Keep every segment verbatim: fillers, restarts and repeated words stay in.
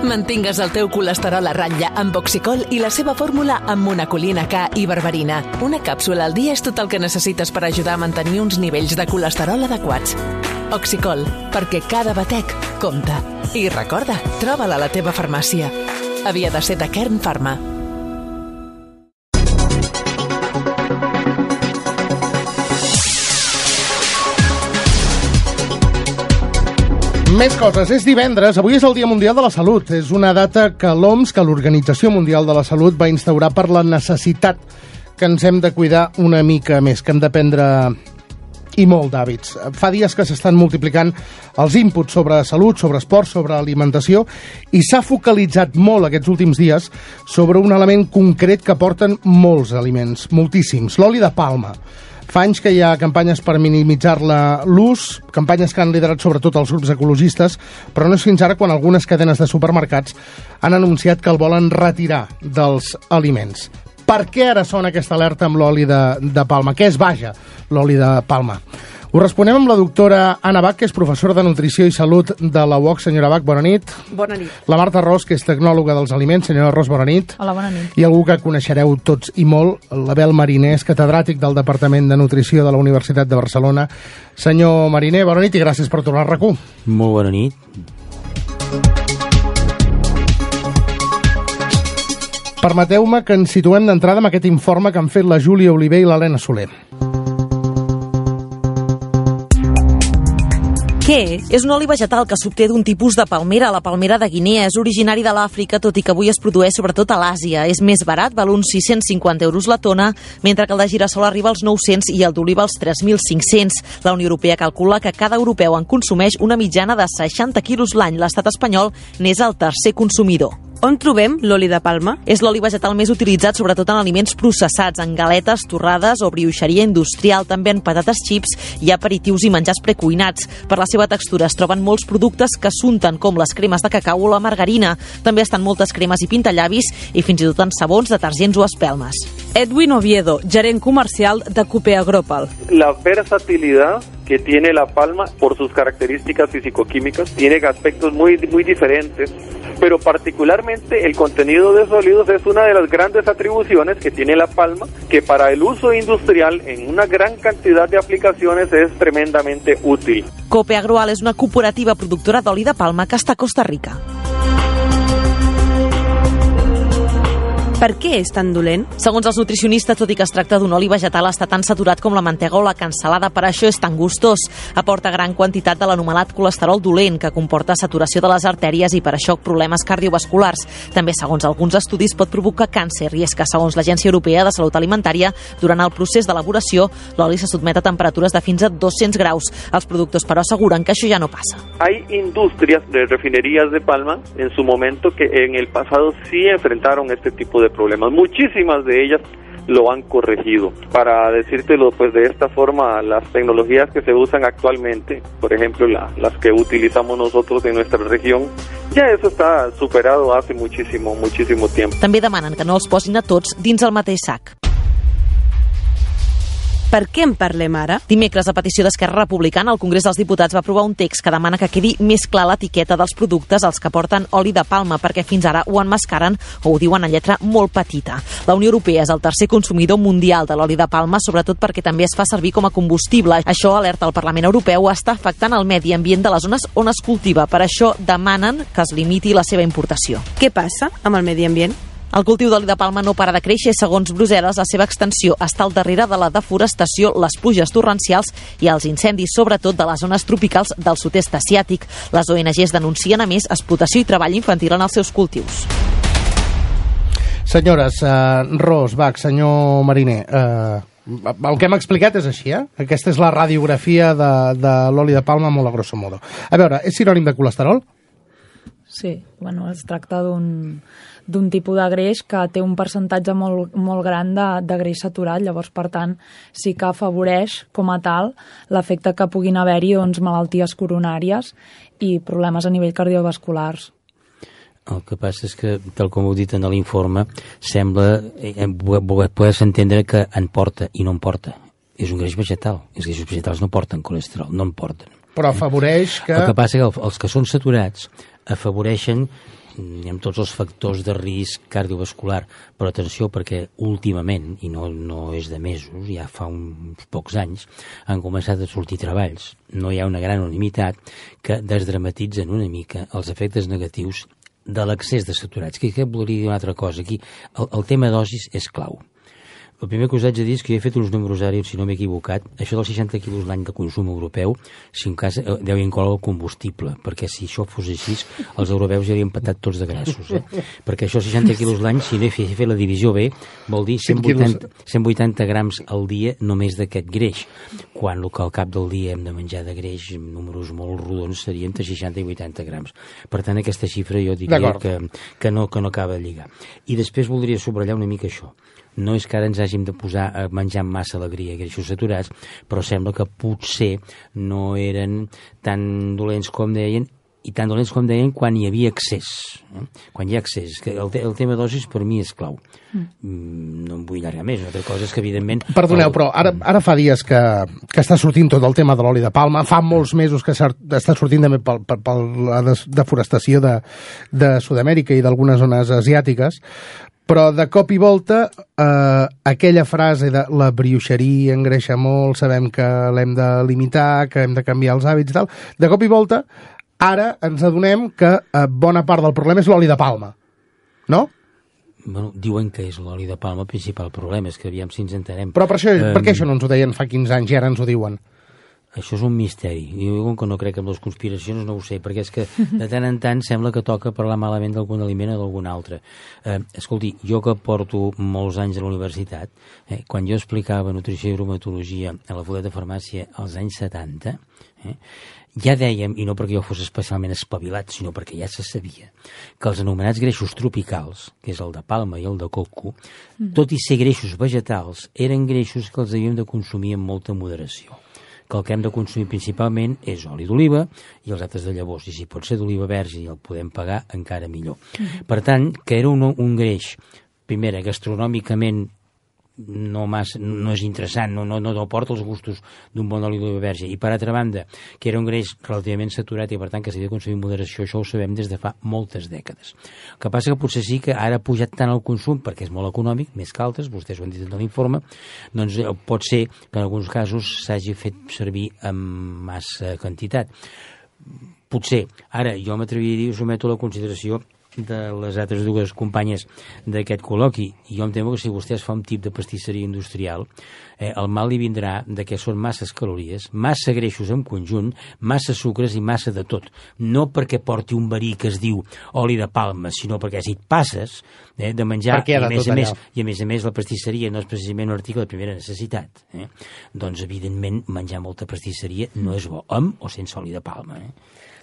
Mantingues el teu colesterol a ratlla amb Oxicol i la seva fórmula amb monacolina K i berberina. Una càpsula al dia és tot el que necessites per ajudar a mantenir uns nivells de colesterol adequats. Oxicol, perquè cada batec compta. I recorda, troba-la a la teva farmàcia. Havia de ser de Kern Pharma. Més coses. És divendres. Avui és el Dia Mundial de la Salut. És una data que l'O M S, que l'Organització Mundial de la Salut, va instaurar per la necessitat que ens hem de cuidar una mica més, que hem de prendre i molt d'hàbits. Fa dies que s'estan multiplicant els inputs sobre salut, sobre esport, sobre alimentació, i s'ha focalitzat molt aquests últims dies sobre un element concret que porten molts aliments, moltíssims, l'oli de palma. Fa anys que hi ha campanyes per minimitzar-la l'ús, campanyes que han liderat sobretot els grups ecologistes, però no és fins ara quan algunes cadenes de supermercats han anunciat que el volen retirar dels aliments. Per què ara sona aquesta alerta amb l'oli de, de palma? Què es vaja l'oli de palma? Ho responem amb la doctora Anna Bach, que és professora de Nutrició i Salut de la U O C. Senyora Bach, bona nit. Bona nit. La Marta Ros, que és tecnòloga dels aliments. Senyora Ros, bona nit. Hola, bona nit. I algú que coneixereu tots i molt, l'Abel Mariner, és catedràtic del Departament de Nutrició de la Universitat de Barcelona. Senyor Mariner, bona nit i gràcies per tornar a RAC u. Molt bona nit. Permeteu-me que ens situem d'entrada amb aquest informe que han fet la Júlia Oliver i l'Helena Soler. Què? És un oli vegetal que s'obté d'un tipus de palmera. La palmera de Guinea és originari de l'Àfrica, tot i que avui es produeix sobretot a l'Àsia. És més barat, val uns sis-cents cinquanta euros la tona, mentre que el de girassol arriba als nou-cents i el d'oliva als tres mil cinc-cents. La Unió Europea calcula que cada europeu en consumeix una mitjana de seixanta quilos l'any. L'estat espanyol n'és el tercer consumidor. On trobem l'oli de palma? És l'oli vegetal més utilitzat sobretot en aliments processats, en galetes, torrades o brioixeria industrial, també en patates xips i aperitius i menjars precuinats. Per la seva textura es troben molts productes que s'unten, com les cremes de cacau o la margarina. També estan moltes cremes i pintallavis i fins i tot en sabons, detergents o espelmes. Edwin Oviedo, gerent comercial de Cupea Gropal. La versatilidad que tiene la palma por sus características físico-químicas tiene aspectos muy, muy diferentes, pero particularmente el contenido de sólidos es una de las grandes atribuciones que tiene la palma, que para el uso industrial en una gran cantidad de aplicaciones es tremendamente útil. Copea Gropal és una cooperativa productora d'oli de palma que està a Costa Rica. Per què és tan dolent? Segons els nutricionistes, tot i que es tracta d'un oli vegetal, està tan saturat com la mantega o la cansalada, per això és tan gustós. Aporta gran quantitat de l'anomenat colesterol dolent, que comporta saturació de les artèries i per això problemes cardiovasculars. També, segons alguns estudis, pot provocar càncer, i és que, segons l'Agència Europea de Salut Alimentària, durant el procés d'elaboració, l'oli se sotmet a temperatures de fins a dos-cents graus. Els productors, però, asseguren que això ja no passa. Hay industrias de refinerías de palma en su momento que en el pasado sí enfrentaron este tipo de problemas. Muchísimas de ellas lo han corregido. Para decírtelo pues de esta forma, las tecnologías que se usan actualmente, por ejemplo la, las que utilizamos nosotros en nuestra región, ja eso està superado hace muchísimo, muchísimo tiempo. També demanen que no els posin a tots dins el mateix sac. Per què en parlem ara? Dimecres, a petició d'Esquerra Republicana, el Congrés dels Diputats va aprovar un text que demana que quedi més clar l'etiqueta dels productes als que porten oli de palma, perquè fins ara ho emmascaren o ho diuen en lletra molt petita. La Unió Europea és el tercer consumidor mundial de l'oli de palma, sobretot perquè també es fa servir com a combustible. Això, alerta el Parlament Europeu, està afectant el medi ambient de les zones on es cultiva. Per això demanen que es limiti la seva importació. Què passa amb el medi ambient? El cultiu d'oli de palma no para de créixer. Segons Brussel·les, la seva extensió està al darrere de la deforestació, les pluges torrencials i els incendis, sobretot de les zones tropicals del sud-est asiàtic. Les O N Ges denuncien, a més, explotació i treball infantil en els seus cultius. Senyores, uh, Ros, Bach, senyor Mariner, uh, el que hem explicat és així, eh? Aquesta és la radiografia de, de l'oli de palma molt a grosso modo. A veure, és sinònim de colesterol? Sí, bueno, es tracta d'un d'un tipus de greix que té un percentatge molt, molt gran de, de greix saturat, llavors, per tant, sí que afavoreix, com a tal, l'efecte que puguin haver-hi doncs, malalties coronàries i problemes a nivell cardiovasculars. El que passa és que, tal com heu dit en l'informe, sembla eh, poder entendre que en porta i no en porta. És un greix vegetal. Els greixos vegetals no porten colesterol, no en porten. Però afavoreix que... El que passa és que els que són saturats afavoreixen amb tots els factors de risc cardiovascular, però atenció perquè últimament, i no, no és de mesos, ja fa uns pocs anys, han començat a sortir treballs. No hi ha una gran unanimitat que desdramatitzen una mica els efectes negatius de l'excés de saturats. Que, que voldria dir una altra cosa aquí? El, el tema dosis és clau. El primer que us haig de dir és que jo he fet uns números ara, si no m'he equivocat, això dels seixanta quilos l'any de consum europeu, si en cas deu incloure el combustible, perquè si això fos així, els europeus ja haurien patat tots de grassos, eh? Perquè això seixanta quilos l'any, si no he fet, he fet la divisió B, vol dir cent vuitanta, cent vuitanta grams al dia només d'aquest greix, quan el que al cap del dia hem de menjar de greix, números molt rodons, serien entre seixanta i vuitanta grams. Per tant, aquesta xifra jo diria que, que, no, que no acaba de lligar. I després voldria subratllar una mica això. No és que ara ens hàgim de posar a menjar amb massa alegria i greixos saturats, però sembla que potser no eren tan dolents com deien, i tan dolents com deien quan hi havia excés. Eh? Quan hi ha excés. Que el, te el tema dosis per mi és clau. Mm. No em vull allargar més. Una altra cosa és que, evidentment... Perdoneu, el... però ara, ara fa dies que, que està sortint tot el tema de l'oli de palma. Fa molts mesos que està sortint també per, per, per la deforestació de, de Sud-amèrica i d'algunes zones asiàtiques. Però de cop i volta eh, aquella frase de la brioixeria engreixa molt, sabem que l'hem de limitar, que hem de canviar els hàbits i tal, de cop i volta ara ens adonem que eh, bona part del problema és l'oli de palma, no? Bueno, diuen que és l'oli de palma el principal problema, és que aviam si ens entenem. Però per, això, um... per què això no ens ho deien fa quinze anys i ara ens ho diuen? Això és un misteri. Jo que no crec en les conspiracions no ho sé, perquè és que de tant en tant sembla que toca parlar malament d'algun aliment o d'algun altre. Eh, escolti, jo que porto molts anys a la universitat, eh, quan jo explicava nutrició i bromatologia a la facultat de farmàcia als anys setanta, eh, ja dèiem, i no perquè jo fos especialment espavilat, sinó perquè ja se sabia, que els anomenats greixos tropicals, que és el de palma i el de coco, mm. tot i ser greixos vegetals, eren greixos que els havíem de consumir amb molta moderació. Que el que hem de consumir principalment és oli d'oliva i els altres de llavors, i si pot ser d'oliva verge i el podem pagar, encara millor. Mm-hmm. Per tant, que era un, un greix, primera, gastronòmicament no, massa, no és interessant, no, no, no porta els gustos d'un bon oli d'oliva verge, i per altra banda, que era un greix relativament saturat i per tant que s'havia de consumir amb moderació, això ho sabem des de fa moltes dècades. El que passa que potser sí que ara ha pujat tant el consum perquè és molt econòmic, més que altres, vostès ho han dit en l'informe, doncs pot ser que en alguns casos s'hagi fet servir amb massa quantitat. Potser, ara jo m'atreviria a dir, us someto a la consideració de les altres dues companyes d'aquest col·loqui, i jo em temo que si vostè es fa un tip de pastisseria industrial, eh, el mal li vindrà de que són masses calories, massa greixos en conjunt, massa sucres i massa de tot. No perquè porti un verí que es diu oli de palma, sinó perquè si et passes eh, de menjar, i a, més a més, i a més a més la pastisseria no és precisament un article de primera necessitat, eh? Doncs evidentment menjar molta pastisseria no és bo, amb o sense oli de palma. Eh?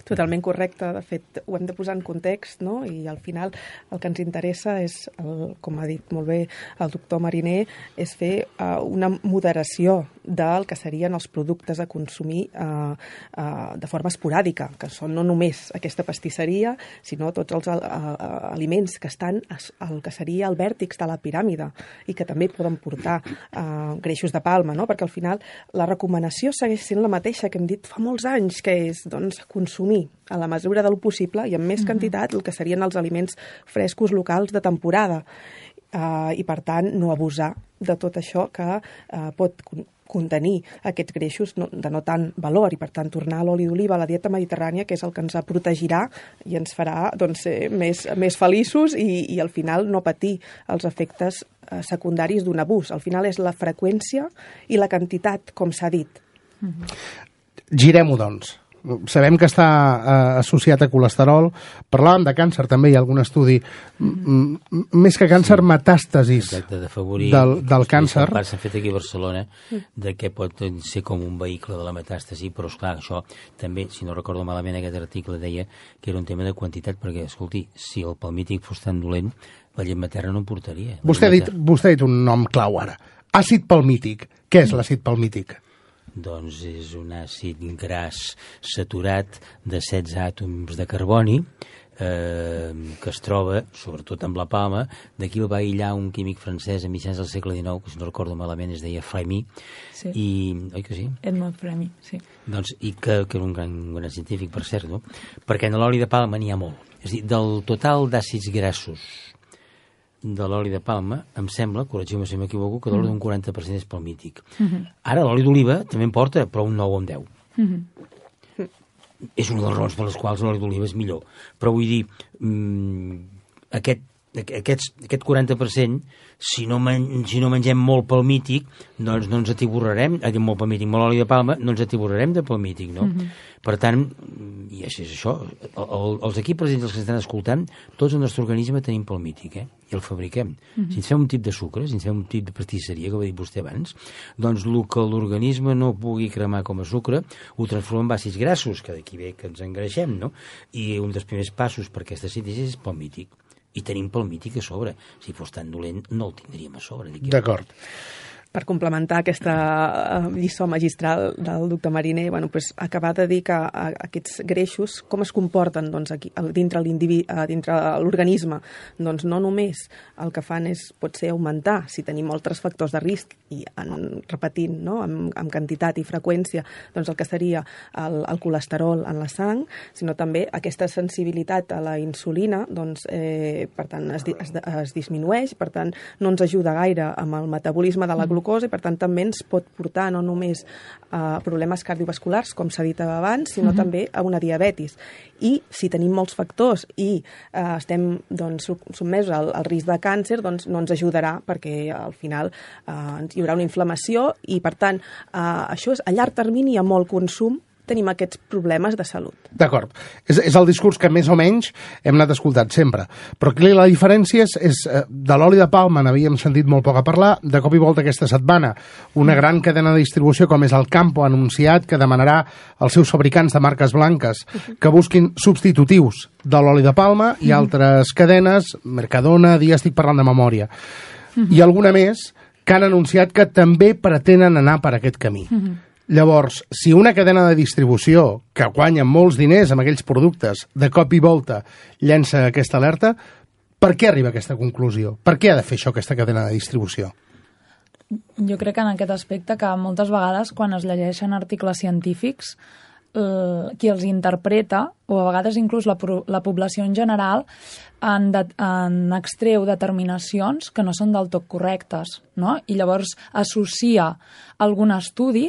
Totalment correcte, de fet ho hem de posar en context, no? I al final el que ens interessa és, el, com ha dit molt bé el doctor Mariner, és fer uh, una moderació del que serien els productes a consumir uh, uh, de forma esporàdica, que són no només aquesta pastisseria, sinó tots els uh, uh, aliments que estan al que seria el vèrtex de la piràmide i que també poden portar uh, greixos de palma, no? Perquè al final la recomanació segueix sent la mateixa que hem dit fa molts anys, que és doncs, consumir a la mesura del possible i amb més quantitat el que serien els aliments frescos locals de temporada uh, i per tant no abusar de tot això que uh, pot contenir aquests greixos no, de no tant valor i per tant tornar a l'oli d'oliva a la dieta mediterrània, que és el que ens protegirà i ens farà doncs, ser més, més feliços i, i al final no patir els efectes uh, secundaris d'un abús. Al final és la freqüència i la quantitat, com s'ha dit. Girem-ho, doncs. Sabem que està eh, associat a colesterol. Parlàvem de càncer, també hi ha algun estudi. M més que càncer, sí. Metàstasis. Exacte, d'afavorir del, del càncer. S'ha fet aquí a Barcelona de què pot ser com un vehicle de la metàstasi, però esclar, això també, si no recordo malament, aquest article deia que era un tema de quantitat, perquè, escolti, si el palmític fos tan dolent, la llet materna no en portaria. Vostè ha, dit, vostè ha dit un nom clau ara. Àcid palmític. Què és l'àcid palmític? Doncs és un àcid gras saturat de setze àtoms de carboni eh, que es troba, sobretot amb la palma. D'aquí el va aïllar un químic francès a mitjans del segle dinou, que si no recordo malament es deia Frémy. Sí. I, oi que sí? Edmond Frémy, sí. Doncs, i que, que era un gran, un gran científic, per cert, no? Perquè en l'oli de palma n'hi ha molt. És a dir, del total d'àcids grassos de l'oli de palma, em sembla, corregiu-me si m'equivoco, que l'oli d'un quaranta per cent és palmític. Uh-huh. Ara l'oli d'oliva també en porta, però un nou o un deu. Uh-huh. És una de les raons per les quals l'oli d'oliva és millor. Però vull dir, mmm, aquest, aquest, aquest quaranta per cent, si no, men si no mengem molt palmític, doncs no ens atiborrarem, eh, molt palmític, molt oli de palma, no ens atiborrarem de palmític, no? Uh-huh. Per tant, i així és això, el, el, els aquí presents, els que estan escoltant, tots el nostre organisme tenim palmític, eh? I el fabriquem. Uh-huh. Si ens fem un tip de sucre, si ens fem un tip de pastisseria, que ho ha dit vostè abans, doncs el que l'organisme no pugui cremar com a sucre, ho transforma en àcids grassos, que d'aquí ve que ens engreixem, no? I un dels primers passos per aquesta síntesi és palmític. I tenim palmític a sobre. Si fos tan dolent, no el tindríem a sobre. D'acord. Per complementar aquesta lliçó magistral del doctor Mariner, bueno, pues, acabar de dir que aquests greixos, com es comporten doncs, aquí, dintre l'organisme, doncs no només el que fan és, pot ser augmentar, si tenim altres factors de risc, i en, repetint, no? amb, amb quantitat i freqüència, doncs el que seria el, el colesterol en la sang, sinó també aquesta sensibilitat a la insulina, doncs, eh, per tant, es, es, es disminueix, per tant, no ens ajuda gaire amb el metabolisme de la glucosa, i per tant també ens pot portar no només a problemes cardiovasculars, com s'ha dit abans, sinó uh-huh. també a una diabetis. I si tenim molts factors i eh, estem doncs, sotmesos al, al risc de càncer, doncs no ens ajudarà perquè al final eh, hi haurà una inflamació i per tant eh, això és a llarg termini i a molt consum tenim aquests problemes de salut. D'acord. És, és el discurs que més o menys hem anat escoltant sempre. Però aquí la diferència és, és de l'oli de palma n'havíem sentit molt poc a parlar, de cop i volta aquesta setmana una gran cadena de distribució com és el Campo ha anunciat que demanarà als seus fabricants de marques blanques que busquin substitutius de l'oli de palma i altres cadenes, Mercadona, Dia, estic parlant de memòria. I alguna més que han anunciat que també pretenen anar per aquest camí. Llavors, si una cadena de distribució que guanya molts diners amb aquells productes de cop i volta llença aquesta alerta, per què arriba a aquesta conclusió? Per què ha de fer això aquesta cadena de distribució? Jo crec que en aquest aspecte que moltes vegades quan es llegeixen articles científics eh, qui els interpreta, o a vegades inclús la, la població en general, en, de, en extreu determinacions que no són del tot correctes, no? I llavors associa algun estudi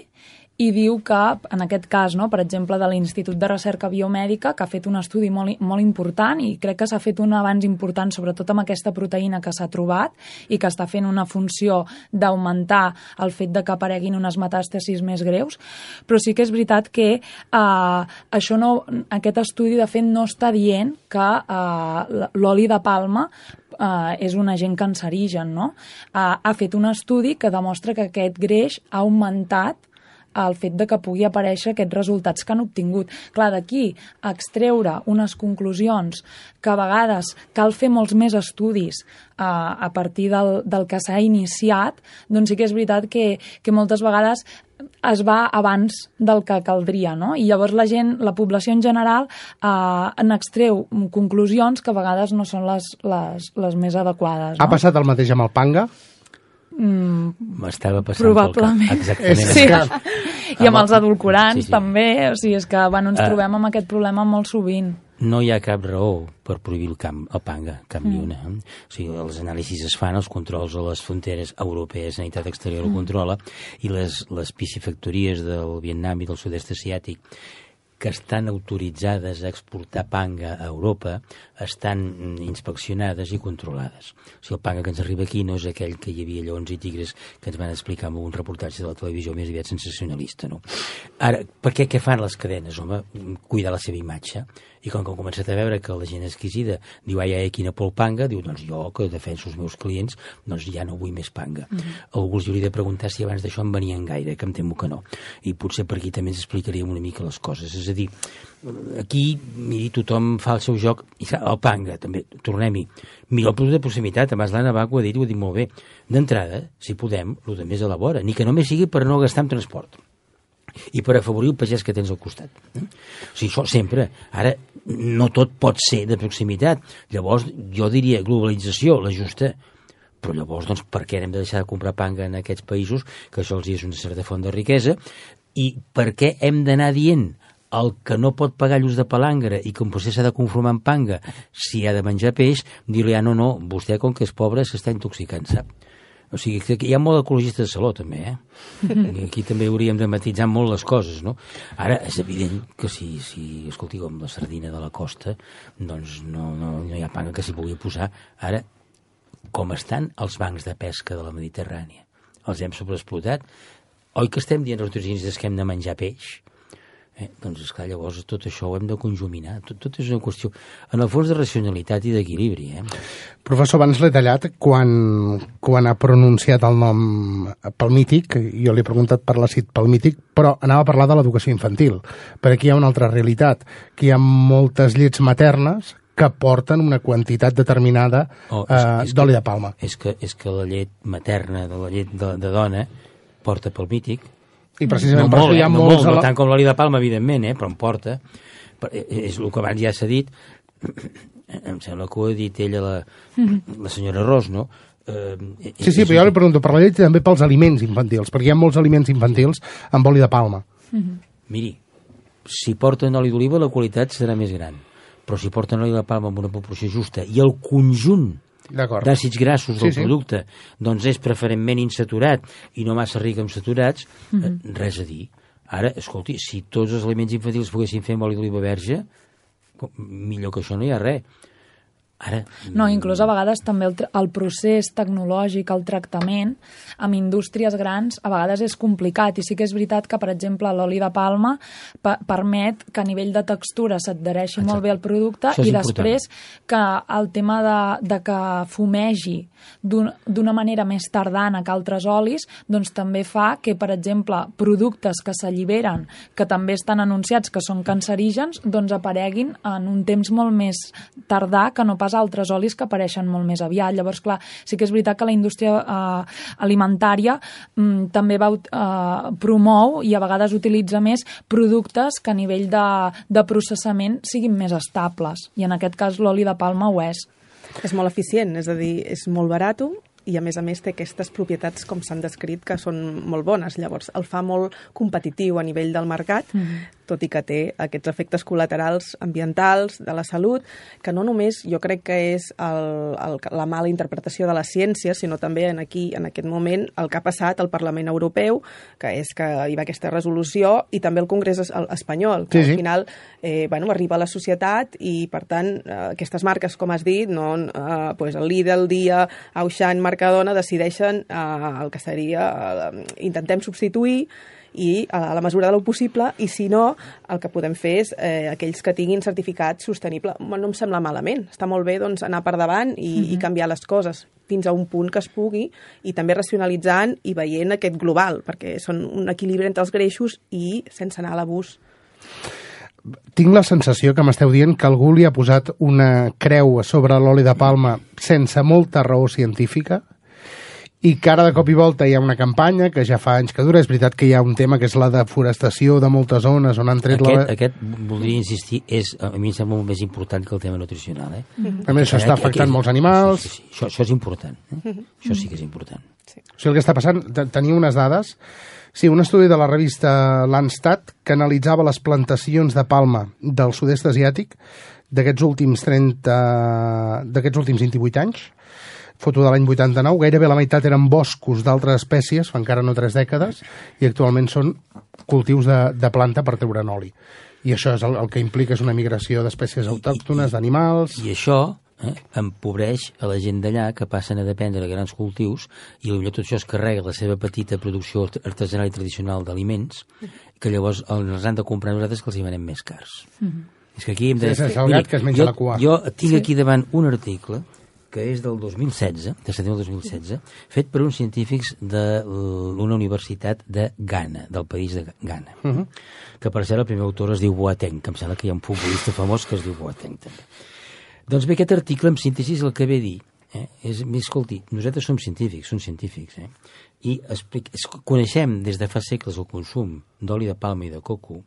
i diu que, en aquest cas, no, per exemple, de l'Institut de Recerca Biomèdica, que ha fet un estudi molt, molt important i crec que s'ha fet un avanç important, sobretot amb aquesta proteïna que s'ha trobat i que està fent una funció d'augmentar el fet de que apareguin unes metàstasis més greus, però sí que és veritat que eh, això no, aquest estudi, de fet, no està dient que eh, l'oli de palma Uh, és un agent cancerigen, no? Uh, ha fet un estudi que demostra que aquest greix ha augmentat el fet de que pugui aparèixer aquests resultats que han obtingut. Clar, d'aquí a extreure unes conclusions que a vegades cal fer molts més estudis uh, a partir del, del que s'ha iniciat, doncs sí que és veritat que, que moltes vegades es va abans del que caldria, no? I llavors la gent, la població en general, eh, n'extreu conclusions que a vegades no són les, les, les més adequades. No? Ha passat el mateix amb el Panga? M'estava Mm, passant probablement. pel cap. Exactament. Sí. Que... I amb els edulcorants sí, sí. també, o sigui, és que bueno, ens uh, trobem amb aquest problema molt sovint. No hi ha cap raó per prohibir el, camp, el panga, cap mm. ni una. O sigui, els anàlisis es fan, els controls a les fronteres europees, Sanitat Exterior mm. ho controla, i les, les piscifactories del Vietnam i del sud-est asiàtic que estan autoritzades a exportar panga a Europa estan inspeccionades i controlades. O sigui, el panga que ens arriba aquí no és aquell que hi havia lleons i tigres que ens van explicar en un reportatge de la televisió més aviat sensacionalista, no? Ara, per què què fan les cadenes, home? Cuidar la seva imatge. I com que han començat a veure que la gent exquisida diu, ai, ai, quina por el panga, diu, doncs jo, que defenso els meus clients, doncs ja no vull més panga. Mm-hmm. Algú els hauria de preguntar si abans d'això en venien gaire, que em temo que no. I potser per aquí també ens explicaríem una mica les coses. És a dir, aquí, miri, tothom fa el seu joc, i el panga, també, tornem-hi. Mira el producte de proximitat, abans l'Anna Baco ha dit, ho ha dit molt bé. D'entrada, si podem, el de més a la vora, ni que només sigui per no gastar en transport i per afavorir el pagès que tens al costat. O sigui, això sempre. Ara, no tot pot ser de proximitat. Llavors, jo diria globalització, la justa, però llavors, doncs, per què hem de deixar de comprar panga en aquests països, que això els és una certa font de riquesa, i per què hem d'anar dient el que no pot pagar lluç de palangre i que potser s'ha de conformar amb panga si ha de menjar peix, dir-li, ah, no, no, vostè com que és pobre s'està intoxicant, sap? O sigui, que hi ha molt ecologista de saló, també, eh? I aquí també hauríem de matitzar molt les coses, no? Ara, és evident que si, si escolti, com la sardina de la costa, doncs no, no, no hi ha panga que s'hi pugui posar. Ara, com estan els bancs de pesca de la Mediterrània? Els hem sobreexplotat? Oi que estem dient als turistes que hem de menjar peix? Eh, doncs, esclar, llavors tot això ho hem de conjuminar. Tot, tot és una qüestió, en el fons, de racionalitat i d'equilibri. Eh? Professor, abans l'he tallat quan, quan ha pronunciat el nom palmític. Jo li he preguntat per l'àcid palmític, però anava a parlar de l'educació infantil. Per aquí hi ha una altra realitat, que hi ha moltes llets maternes que porten una quantitat determinada oh, és, és d'oli de palma. És que, és que la llet materna, de la llet de, de dona, porta palmític. I precisament no per molt, això hi ha eh? no, molts... molt, no tant com l'oli de palma, evidentment, eh? Però em porta. És el que abans ja s'ha dit. Em sembla que ho ha dit ella, la, la senyora Ros, no? Eh, sí, sí, però jo li pregunto per la llet i també pels aliments infantils, perquè hi ha molts aliments infantils amb oli de palma. Miri, si porten oli d'oliva la qualitat serà més gran, però si porten oli de palma amb una proporció justa i el conjunt d'àcids grassos del sí, sí. producte doncs és preferentment insaturat i no massa ric en saturats, mm -hmm. eh, res a dir. Ara, escolti, si tots els aliments infantils poguessin fer amb oli d'oliva verge, millor que això no hi ha res. Ara, no, inclús a vegades també el, el procés tecnològic, el tractament, amb indústries grans, a vegades és complicat. I sí que és veritat que, per exemple, l'oli de palma pa permet que a nivell de textura s'adhereixi molt bé al producte i després que el tema de, de que fumegi d'una manera més tardana que altres olis, doncs també fa que, per exemple, productes que s'alliberen, que també estan anunciats que són cancerígens, doncs apareguin en un temps molt més tardà que no pas altres olis que apareixen molt més aviat. Llavors, clar, sí que és veritat que la indústria eh, alimentària mm, també va, eh, promou i a vegades utilitza més productes que a nivell de, de processament siguin més estables. I en aquest cas l'oli de palma ho és. És molt eficient, és a dir, és molt barat i a més a més té aquestes propietats, com s'han descrit, que són molt bones. Llavors, el fa molt competitiu a nivell del mercat, mm-hmm. tot i que té aquests efectes col·laterals ambientals, de la salut, que no només jo crec que és el, el, la mala interpretació de la ciència, sinó també en aquí, en aquest moment, el que ha passat al Parlament Europeu, que és que hi va aquesta resolució, i també el Congrés espanyol, que sí, sí. al final eh, bueno, arriba a la societat i, per tant, eh, aquestes marques, com has dit, no, eh, pues el Lidl, Dia, Auchan, Mercadona, decideixen eh, el que seria, eh, intentem substituir i a la mesura del possible, i si no, el que podem fer és eh, aquells que tinguin certificat sostenible. No em sembla malament, està molt bé doncs, anar per davant i, mm-hmm. i canviar les coses fins a un punt que es pugui, i també racionalitzant i veient aquest global, perquè són un equilibri entre els greixos i sense anar a l'abús. Tinc la sensació que m'esteu dient que algú li ha posat una creu sobre l'oli de palma sense molta raó científica, i que ara de cop i volta hi ha una campanya que ja fa anys que dura. És veritat que hi ha un tema que és la deforestació de moltes zones on han tret aquest, la... Aquest, voldria insistir, és, a mi em sembla molt més important que el tema nutricional. Eh? Mm-hmm. A més, això està afectant molts animals... Sí, sí, sí. Això, això és important. Eh? Mm-hmm. Això sí que és important. Sí. O sigui, el que està passant, tenia unes dades... Sí, un estudi de la revista Landstat que analitzava les plantacions de palma del sud-est asiàtic d'aquests últims trenta... d'aquests últims vint-i-vuit anys, foto de l'any vuitanta-nou, gairebé la meitat eren boscos d'altres espècies, fa encara no tres dècades, i actualment són cultius de, de planta per treure'n oli. I això és el, el que implica és una migració d'espècies autòctones, d'animals... I això eh, empobreix a la gent d'allà que passen a dependre de grans cultius i potser tot això es carrega la seva petita producció artesanal i tradicional d'aliments, que llavors els han de comprar nosaltres que els hi venem més cars. Mm-hmm. És que aquí hem de... Sí, és el gat que es menja jo, la cua. Jo tinc sí. aquí davant un article que és del dos mil setze, de setembre del dos mil setze, fet per uns científics d'una universitat de Ghana, del país de Ghana, uh -huh. que per ser el primer autor es diu Boateng, que em sembla que hi ha un futbolista famós que es diu Boateng també. Doncs bé, aquest article, en síntesi, el que ve a dir, eh, és, escolti, nosaltres som científics, som científics, eh, i explic, coneixem des de fa segles el consum d'oli de palma i de coco.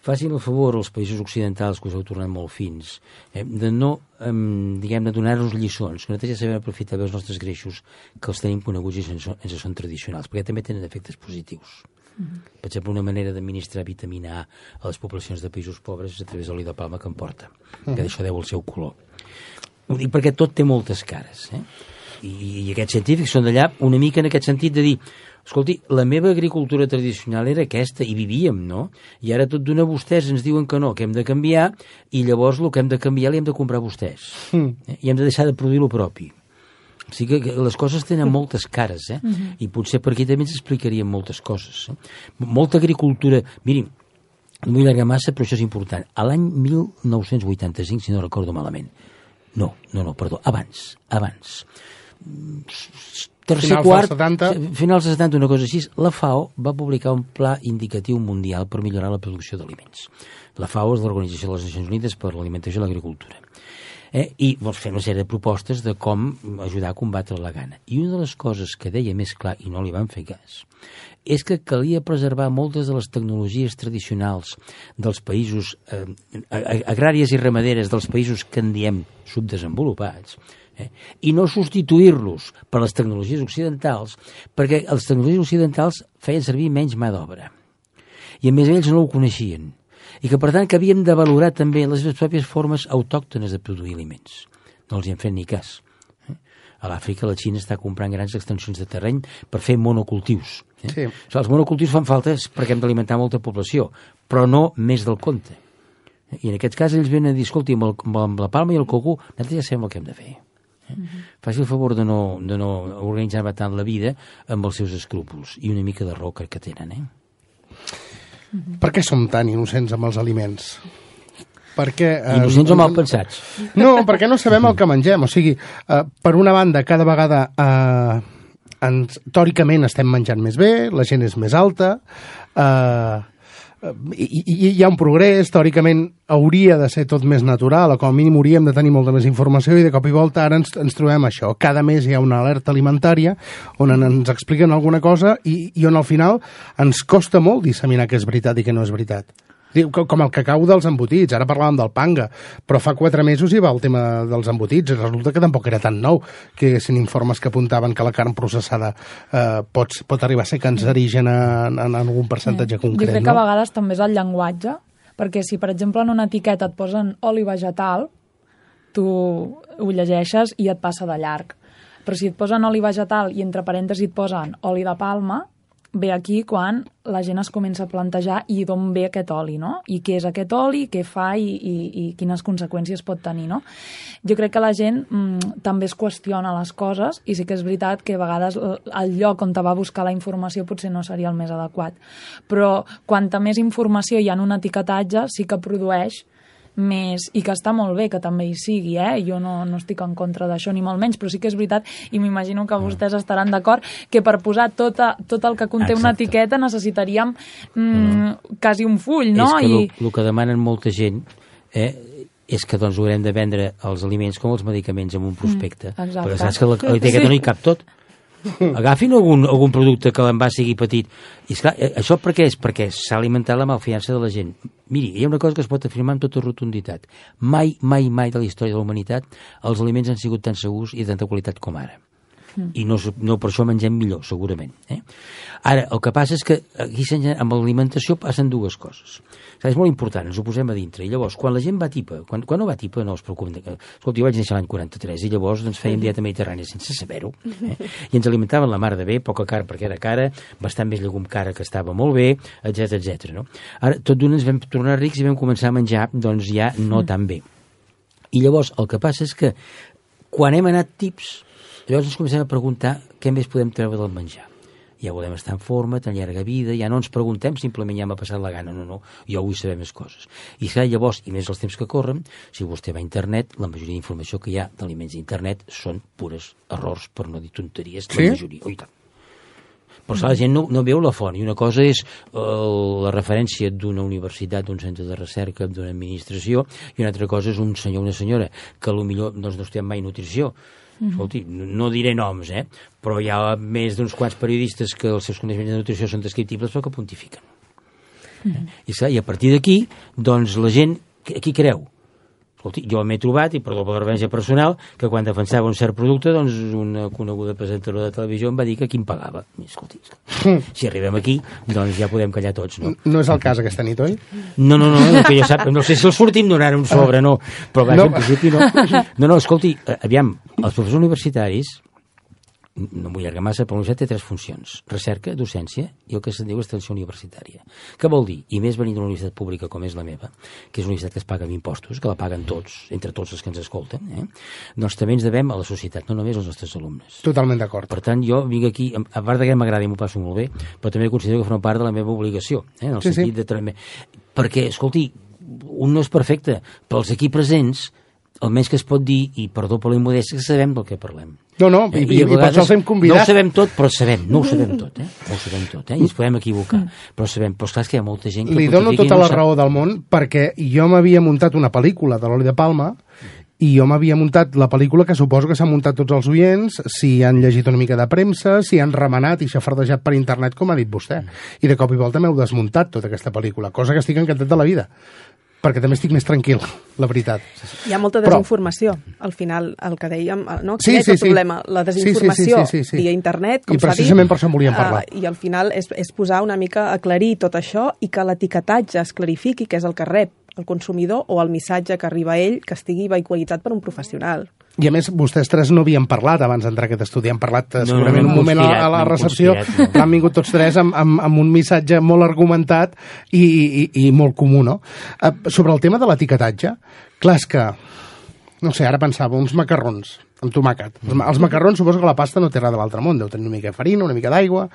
Facin el favor als països occidentals, que us heu tornat molt fins, eh, de no, eh, diguem, de donar-nos lliçons, que nosaltres ja sabem aprofitar bé els nostres greixos, que els tenim coneguts i ens, ens són tradicionals, perquè també tenen efectes positius. Mm-hmm. Per exemple, una manera d'administrar vitamina A a les poblacions de països pobres és a través de l'oli de palma que en porta, mm-hmm. que d'això deu el seu color. Ho dic perquè tot té moltes cares, eh? I, i aquests científics són d'allà una mica en aquest sentit de dir, escolti, la meva agricultura tradicional era aquesta, i vivíem, no? I ara tot d'una vostès ens diuen que no, que hem de canviar, i llavors el que hem de canviar li hem de comprar vostès. Mm. Eh? I hem de deixar de produir el propi. O sigui que les coses tenen moltes cares, eh? Mm-hmm. I potser per aquí també ens explicarien moltes coses. Eh? Molta agricultura... Mirin, no vull allargar massa, però això és important. A l'any mil nou-cents vuitanta-cinc, si no recordo malament, no, no, no, perdó, abans, abans, tercer finals quart, dels setanta. Finals dels setanta, una cosa així, la FAO va publicar un pla indicatiu mundial per millorar la producció d'aliments. La FAO és l'Organització de les Nacions Unides per l'Alimentació i l'Agricultura. Eh? I vols fer una sèrie de propostes de com ajudar a combatre la gana. I una de les coses que deia més clar, i no li van fer cas, és que calia preservar moltes de les tecnologies tradicionals dels països eh, agràries i ramaderes dels països que en diem subdesenvolupats, eh, i no substituir-los per les tecnologies occidentals, perquè les tecnologies occidentals feien servir menys mà d'obra. I a més ells no ho coneixien. I que, per tant, que havíem de valorar també les pròpies formes autòctones de produir aliments. No els hi hem fet ni cas. A l'Àfrica la Xina està comprant grans extensions de terreny per fer monocultius. Eh? Sí. O sigui, els monocultius fan falta perquè hem d'alimentar molta població, però no més del compte. I en aquest cas ells venen a dir, escolti, amb, el, amb la palma i el coco, nosaltres ja sabem el que hem de fer. Eh? Mm-hmm. Faci el favor de no, de no organitzar tant la vida amb els seus escrúpols i una mica de raó que tenen, eh? Per què som tan innocents amb els aliments? Perquè, eh, innocents o mal pensats? No, perquè no sabem el que mengem. O sigui, eh, per una banda, cada vegada eh, ens, teòricament estem menjant més bé, la gent és més alta, eh, i, i hi ha un progrés, teòricament hauria de ser tot més natural, o com a mínim hauríem de tenir molta més informació, i de cop i volta ara ens, ens trobem això. Cada mes hi ha una alerta alimentària on ens expliquen alguna cosa i, i on al final ens costa molt disseminar què és veritat i què no és veritat. Com el cacau dels embotits, ara parlàvem del panga, però fa quatre mesos hi va el tema dels embotits, resulta que tampoc era tan nou, que hi haguessin informes que apuntaven que la carn processada eh, pot, pot arribar a ser cancerígena en, en algun percentatge concret. Jo crec no? que a vegades també és el llenguatge, perquè si, per exemple, en una etiqueta et posen oli vegetal, tu ho llegeixes i et passa de llarg. Però si et posen oli vegetal i entre parèntesis et posen oli de palma, ve aquí quan la gent es comença a plantejar i d'on ve aquest oli, no? I què és aquest oli, què fa i, i, i quines conseqüències pot tenir, no? Jo crec que la gent mm, també es qüestiona les coses i sí que és veritat que a vegades el lloc on te va buscar la informació potser no seria el més adequat. Però quanta més informació hi ha en un etiquetatge sí que produeix més, i que està molt bé que també hi sigui, eh? Jo no, no estic en contra d'això ni molt menys, però sí que és veritat, i m'imagino que vostès estaran d'acord, que per posar tot, a, tot el que conté Exacte. Una etiqueta necessitaríem mm, no. quasi un full, no? És que I... el que demanen molta gent eh, és que doncs haurem de vendre els aliments com els medicaments amb un prospecte, mm, perquè saps que a l'etiqueta sí. no hi cap tot. Agafin algun, algun producte que l'envàs sigui petit. I esclar, això per què és? Perquè s'ha alimentat la malfiança de la gent. Miri, hi ha una cosa que es pot afirmar amb tota rotunditat. Mai, mai, mai de la història de la humanitat els aliments han sigut tan segurs i de tanta qualitat com ara. Mm. I no, no per això mengem millor, segurament. Eh? Ara, el que passa és que aquí amb l'alimentació passen dues coses. O sigui, és molt important, ens ho posem a dintre. I llavors, quan la gent va a tipa, quan, quan no va a tipa, no es preocupen. Escolta, jo vaig néixer l'any quaranta-tres i llavors doncs, fèiem dieta mediterrània sense saber-ho. Eh? I ens alimentaven la mar de bé, poca carn perquè era cara, bastant més llegum cara que estava molt bé, etcètera etcètera. No? Ara, tot d'una ens vam tornar rics i vam començar a menjar doncs, ja no tan bé. I llavors, el que passa és que quan hem anat tips, llavors ens comencem a preguntar què més podem treure del menjar. Ja volem estar en forma, tan llarga vida, ja no ens preguntem simplement ja m'ha passat la gana, no, no, jo vull saber més coses. I clar, llavors, i més els temps que corren, si vostè va a internet, la majoria d'informació que hi ha d'aliments d'internet són pures errors, per no dir tonteries, sí? La majoria. Oh, i tant. Però clar, la gent no, no veu la font, i una cosa és uh, la referència d'una universitat, d'un centre de recerca, d'una administració, i una altra cosa és un senyor o una senyora que potser doncs, no estem mai nutrició. Escolti, no diré noms, eh? Però hi ha més d'uns quants periodistes que els seus coneixements de nutrició són descriptibles però que pontifiquen. Mm-hmm. I, I a partir d'aquí, doncs la gent, qui creu? Escolti, jo m'he trobat, i perdó per la referència personal, que quan defensava un cert producte, doncs una coneguda presentadora de televisió em va dir que qui em pagava. Escolti, si arribem aquí, doncs ja podem callar tots, no? No és el cas aquesta nit, oi? No, no, no, no, que jo sap, no sé si els sortim donant un sobre, no, però vaja, no. En principi no. No, no, escolti, aviam, els professors universitaris, no m'ho allarga massa, però la universitat té tres funcions: recerca, docència i el que se'n diu extensió universitària. Què vol dir? I més venint d'una universitat pública com és la meva, que és una universitat que es paga amb impostos, que la paguen tots, entre tots els que ens escolten, eh? Doncs també ens devem a la societat, no només als nostres alumnes. Totalment d'acord. Per tant, jo vinc aquí, a part que m'agrada i m'ho passo molt bé, però també considero que forma part de la meva obligació, eh? En el sí, sentit sí. de també... Perquè, escolti, un no és perfecte, però els aquí presents, almenys que es pot dir, i perdó per la immodèstia, que sabem del que parlem. No, no, i, i, i per això els hem convidat. No ho sabem tot, però sabem, no ho sabem tot, eh? No ho sabem tot, eh? I ens podem equivocar, però sabem, però esclar, és que hi ha molta gent que... Li dono tota la raó del món, perquè jo m'havia muntat una pel·lícula de l'Oli de Palma, i jo m'havia muntat la pel·lícula que suposo que s'han muntat tots els oients, si han llegit una mica de premsa, si han remenat i xafardejat per internet, com ha dit vostè. I de cop i volta m'heu desmuntat tota aquesta pel·lícula, cosa que estic encantat de la vida, perquè també estic més tranquil, la veritat. Hi ha molta desinformació, Però... al final, el que dèiem, no? Sí, Quin sí, és el sí. problema? La desinformació sí, sí, sí, sí, sí. via internet, com I s'ha dit. precisament per això en volíem parlar. Uh, I al final és, és posar una mica, aclarir tot això i que l'etiquetatge es clarifiqui què és el que rep el consumidor o el missatge que arriba a ell que estigui vehiculitzat per un professional. I a més, vostès tres no havien parlat abans d'entrar a aquest estudi, han parlat no, segurament no, no, un moment a, a la recepció, no. Han vingut tots tres amb, amb, amb un missatge molt argumentat i, i, i molt comú, no? Uh, sobre el tema de l'etiquetatge, clar, és que, no sé, ara pensava, uns macarrons amb tomàquet. Els, els macarrons, suposo que la pasta no té res de l'altre món, deu tenir una mica de farina, una mica d'aigua,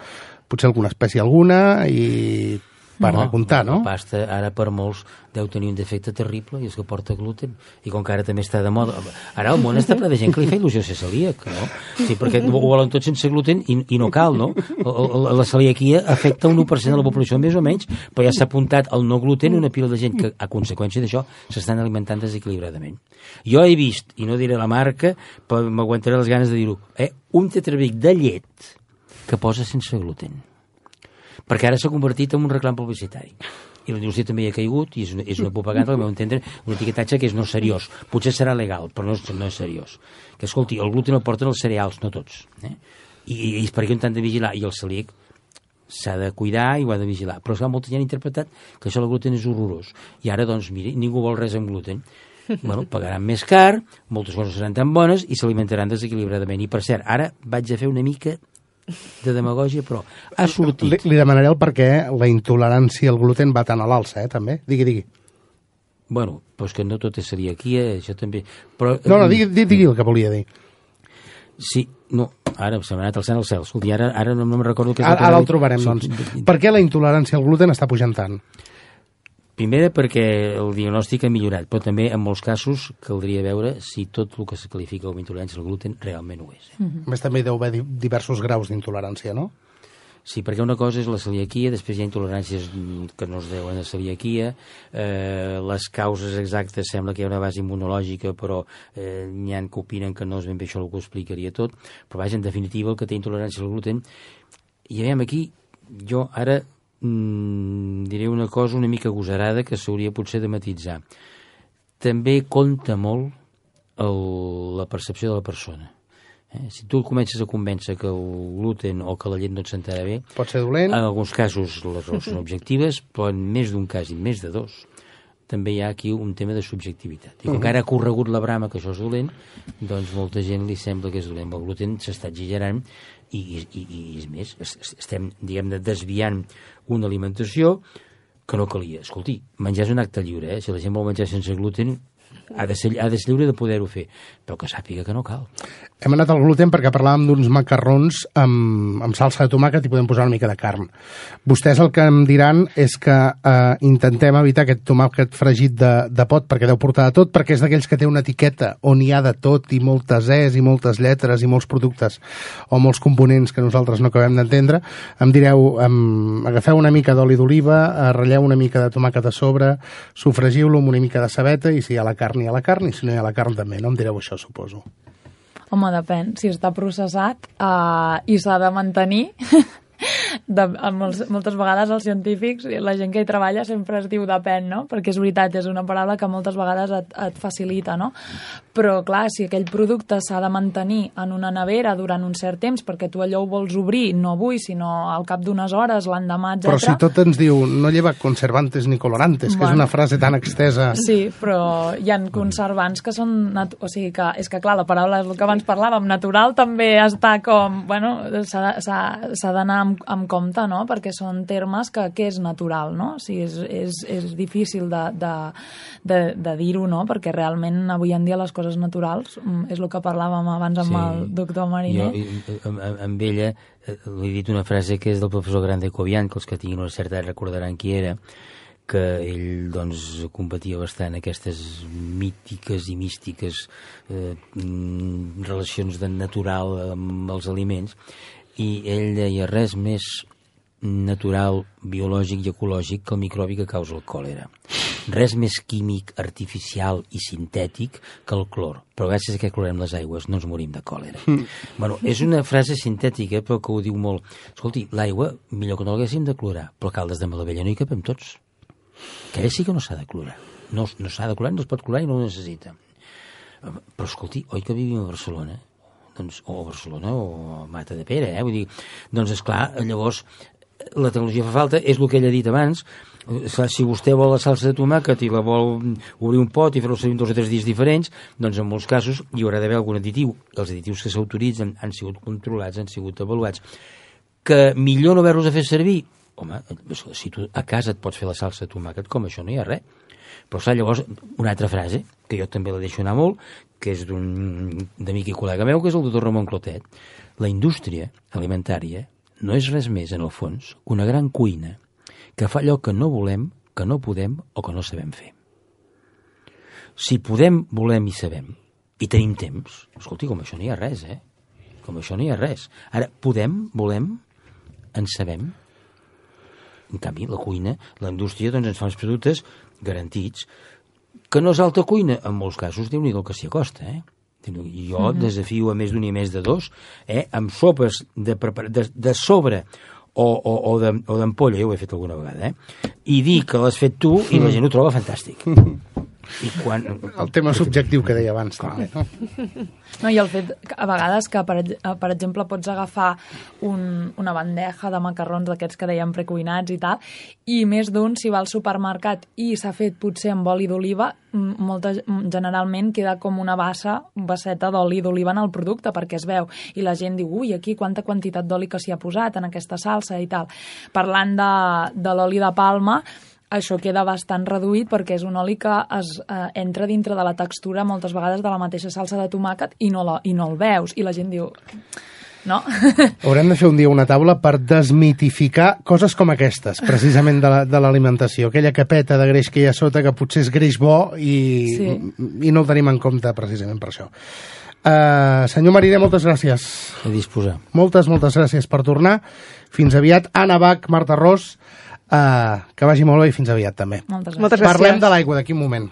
potser alguna espècie alguna i... per no, de comptar, no? La pasta ara per molts deu tenir un defecte terrible i és que porta gluten, i com que ara també està de moda, ara el món està ple de gent que li fa il·lusió ser celíac, no? Sí, perquè ho volen tot sense gluten i, i no cal, no? La, la celiaquia afecta un u per cent de la població més o menys, però ja s'ha apuntat el no gluten una pila de gent que a conseqüència d'això s'estan alimentant desequilibradament. Jo he vist, i no diré la marca, però m'aguantaré les ganes de dir-ho, eh? Un tetrabric de llet que posa sense gluten, perquè ara s'ha convertit en un reclam publicitari. I la indústria també hi ha caigut, i és una, és una propaganda, al meu entendre, un etiquetatge que és no seriós. Potser serà legal, però no és, no és seriós. Que, escolti, el gluten el porten els cereals, no tots. Eh? I, I és perquè un tant de vigilar, i el celíac s'ha de cuidar i ho ha de vigilar. Però esclar, molta gent ha interpretat que això del gluten és horrorós. I ara, doncs, miri, ningú vol res amb gluten. Bueno, pagaran més car, moltes coses seran tan bones i s'alimentaran desequilibradament. I, per cert, ara vaig a fer una mica de demagògia, però ha sortit. Li, li demanaré el per què la intolerància al gluten va tan a l'alça, eh, també. Digui, digui. Bueno, doncs que no tot és celiaquia, això també... Però, no, no, digui, digui, digui el que volia dir. Sí, no, ara se m'ha anat al cel al cel. Escolti, ara, ara no, no me'n recordo què és ara, el que... Ara el trobarem, sí, doncs. Per què la intolerància al gluten està pujant tant? Primera, perquè el diagnòstic ha millorat, però també en molts casos caldria veure si tot el que se qualifica com a intolerància al gluten realment ho és. Eh? Mm-hmm. A més, també deu haver diversos graus d'intolerància, no? Sí, perquè una cosa és la celiaquia, després hi ha intoleràncies que no es deuen a celiaquia, eh, les causes exactes sembla que hi ha una base immunològica, però eh, n'hi ha que opinen que no és ben bé això el que ho explicaria tot, però vaja, en definitiva, el que té intolerància al gluten, i veiem aquí, jo ara mm, diré una cosa una mica agosarada que s'hauria potser de matitzar. També compta molt el, la percepció de la persona. Eh? Si tu comences a convèncer que el gluten o que la llet no et sentarà bé, pot ser dolent. En alguns casos les raons són objectives, però en més d'un cas i més de dos també hi ha aquí un tema de subjectivitat. I com que ara ha corregut la brama que això és dolent, doncs molta gent li sembla que és dolent. El gluten s'està exagerant i, i, i és més, estem, diguem-ne, desviant una alimentació que no calia. Escolti, menjar és un acte lliure, eh? Si la gent vol menjar sense gluten, ha de ser, ha de ser lliure de poder-ho fer, però que sàpiga que no cal. Hem anat al gluten perquè parlàvem d'uns macarrons amb, amb salsa de tomàquet i podem posar una mica de carn. Vostès el que em diran és que eh, intentem evitar aquest tomàquet fregit de, de pot, perquè deu portar de tot, perquè és d'aquells que té una etiqueta on hi ha de tot i moltes es i moltes lletres i molts productes o molts components que nosaltres no acabem d'entendre. Em direu, em, agafeu una mica d'oli d'oliva, eh, ratlleu una mica de tomàquet a sobre, sofregiu-lo amb una mica de cebeta i si hi ha la carn hi ha la carn i si no hi ha la carn també. No em direu això, suposo. Home, depèn. Si està processat uh, i s'ha de mantenir, de, molts, moltes vegades els científics, la gent que hi treballa sempre es diu depèn, no? Perquè és veritat, és una paraula que moltes vegades et, et facilita, no? Però, clar, si aquell producte s'ha de mantenir en una nevera durant un cert temps, perquè tu allò ho vols obrir, no avui, sinó al cap d'unes hores, l'endemà, etcètera. Però si tot ens diu no lleva conservantes ni colorantes, que bueno, és una frase tan extesa. Sí, però hi ha conservants que són... O sigui, que és que, clar, la paraula és el que abans parlàvem, natural també està com... Bueno, s'ha d'anar amb, amb compte, no? Perquè són termes que, que és natural, no? O sigui, és, és, és difícil de, de, de, de dir-ho, no? Perquè realment avui en dia les coses naturals és el que parlàvem abans amb sí. el doctor Mariner. Jo, amb ella, li he dit una frase que és del professor Grande Cobian, que els que tinguin una certa edat recordaran qui era, que ell doncs combatia bastant aquestes mítiques i místiques eh, relacions de natural amb els aliments, i ell deia res més natural, biològic i ecològic que el microbi que causa el còlera. Res més químic, artificial i sintètic que el clor. Però gràcies a que clorem les aigües no ens morim de còlera. Mm. Bueno, és una frase sintètica, però que ho diu molt. Escolti, l'aigua, millor que no l'haguéssim de clorar, però a Caldes de Malavella no hi capem tots. Que sí que no s'ha de clorar. No, no s'ha de clorar, no es pot clorar i no ho necessita. Però escolti, oi que vivim a Barcelona? Doncs, o a Barcelona o a Mata de Pere, eh? Vull dir, doncs, esclar, llavors la tecnologia fa falta, és el que ell ha dit abans. Si vostè vol la salsa de tomàquet i la vol obrir un pot i fer-ho servir dos o tres dies diferents, doncs en molts casos hi haurà d'haver algun additiu. Els additius que s'autoritzen han sigut controlats, han sigut avaluats. Que millor no haver-los a fer servir? Home, si tu a casa et pots fer la salsa de tomàquet, com això no hi ha res. Però saps, llavors, una altra frase, que jo també la deixo anar molt, que és d'un amic i col·lega meu, que és el doctor Ramon Clotet. La indústria alimentària no és res més, en el fons, que una gran cuina que fa allò que no volem, que no podem o que no sabem fer. Si podem, volem i sabem, i tenim temps, escolti, com això no hi ha res, eh? Com això no hi ha res. Ara, podem, volem, en sabem. En canvi, la cuina, la indústria, doncs ens fa uns productes garantits, que no és alta cuina, en molts casos, Déu-n'hi-do que s'hi acosta, eh? Jo mm-hmm. desafio a més d'un i més de dos, eh? Amb sopes de, de, de sobre o, o, o d'ampolla, jo ho he fet alguna vegada, eh? I dir que l'has fet tu i la gent ho troba fantàstic. I quan... El tema subjectiu que deia abans també, no? No, i el fet, a vegades, que per, per exemple pots agafar un, una bandeja de macarrons d'aquests que dèiem precuinats i tal, i més d'un, si va al supermercat i s'ha fet potser amb oli d'oliva, molta, generalment queda com una bassa, basseta d'oli d'oliva en el producte, perquè es veu, i la gent diu, ui, aquí quanta quantitat d'oli que s'hi ha posat en aquesta salsa i tal. Parlant de, de l'oli de palma, això queda bastant reduït perquè és un oli que es eh, entra dintre de la textura moltes vegades de la mateixa salsa de tomàquet i no, la, i no el veus. I la gent diu... No? Haurem de fer un dia una taula per desmitificar coses com aquestes, precisament de l'alimentació. La, aquella capeta de greix que hi ha sota, que potser és greix bo i, sí. i no el tenim en compte precisament per això. Uh, senyor Mariner, moltes gràcies. A disposar. Moltes, moltes gràcies per tornar. Fins aviat. Anna Bach, Marta Ros, uh, que vagi molt bé i fins aviat també. Moltes gràcies. Parlem de l'aigua d'aquí un moment.